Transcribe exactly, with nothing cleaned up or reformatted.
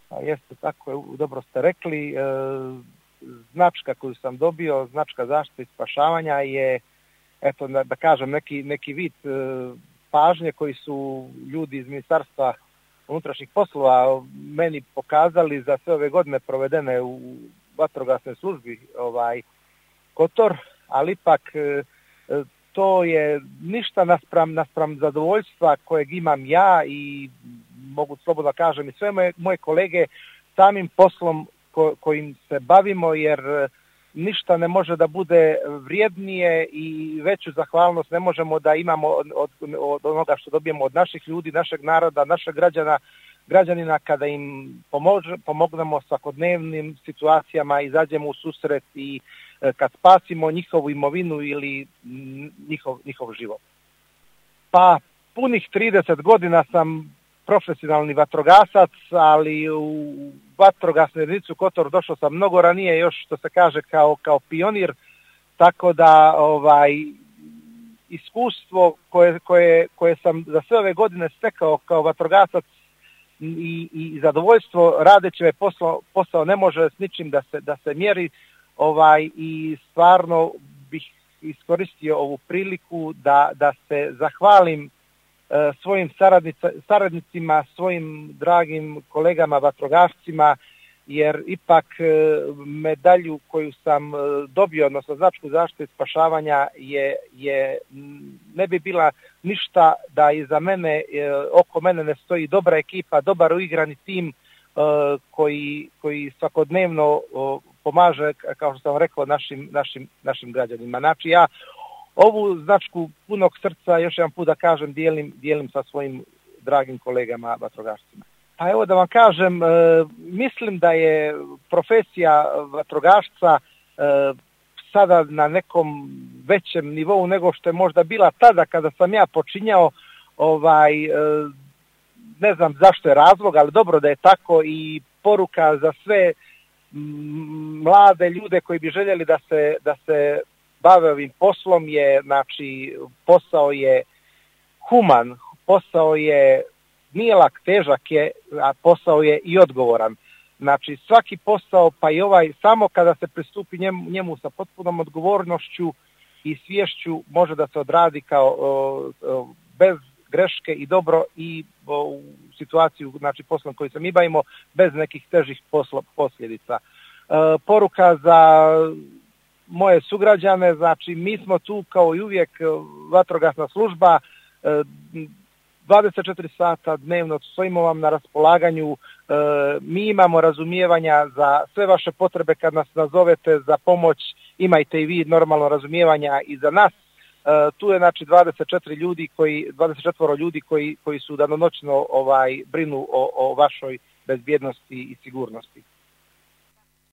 A jeste, tako je, dobro ste rekli. E, značka koju sam dobio, značka zaštite i spašavanja je, eto, da, da kažem, neki, neki vid e, pažnje koji su ljudi iz Ministarstva unutrašnjih poslova meni pokazali za sve ove godine provedene u vatrogasnoj službi ovaj Kotor, ali ipak e, to je ništa naspram, naspram zadovoljstva kojeg imam ja i mogu slobodno kažem i sve moje, moje kolege samim poslom ko, kojim se bavimo, jer ništa ne može da bude vrijednije i veću zahvalnost ne možemo da imamo od, od, od onoga što dobijemo od naših ljudi, našeg naroda, našeg građana, građanina kada im pomož, pomognemo svakodnevnim situacijama, izađemo u susret i kad spasimo njihovu imovinu ili njihov, njihov život. Pa punih trideset godina sam profesionalni vatrogasac, ali u vatrogasnu jedinicu Kotor došao sam mnogo ranije, još što se kaže kao, kao pionir, tako da ovaj iskustvo koje, koje, koje sam za sve ove godine stekao kao vatrogasac i, i zadovoljstvo radeći ovaj posao, posao ne može s ničim da se, da se mjeri, ovaj, i stvarno bih iskoristio ovu priliku da, da se zahvalim e, svojim saradnicima, svojim dragim kolegama vatrogascima, jer ipak e, medalju koju sam e, dobio, odnosno značku zaštite i spašavanja je, je ne bi bila ništa da iza mene, e, oko mene ne stoji dobra ekipa, dobar uigrani tim e, koji, koji svakodnevno o, pomaže, kao što sam rekao, našim, našim, našim građanima. Znači ja ovu značku punog srca, još jedan put da kažem, dijelim, dijelim sa svojim dragim kolegama vatrogascima. Pa evo da vam kažem, e, mislim da je profesija vatrogasca e, sada na nekom većem nivou nego što je možda bila tada kada sam ja počinjao, ovaj, e, ne znam zašto je razlog, ali dobro da je tako, i poruka za sve mlade ljude koji bi željeli da se, da se bave ovim poslom je, znači, posao je human, posao je nije lak, težak je, a posao je i odgovoran. Znači svaki posao, pa i ovaj, samo kada se pristupi njemu, njemu sa potpunom odgovornošću i sviješću može da se odradi kao o, o, bez greške i dobro i o, u situaciju, znači poslom koji se mi bavimo, bez nekih težih poslo, posljedica. E, poruka za moje sugrađane, znači mi smo tu kao i uvijek vatrogasna služba, e, dvadeset četiri sata dnevno stojimo vam na raspolaganju, e, mi imamo razumijevanja za sve vaše potrebe kad nas nazovete za pomoć, imajte i vi normalno razumijevanja i za nas. E, tu je znači dvadeset četiri ljudi koji, dvadeset četvoro ljudi koji, koji su danonoćno ovaj, brinu o, o vašoj bezbjednosti i sigurnosti.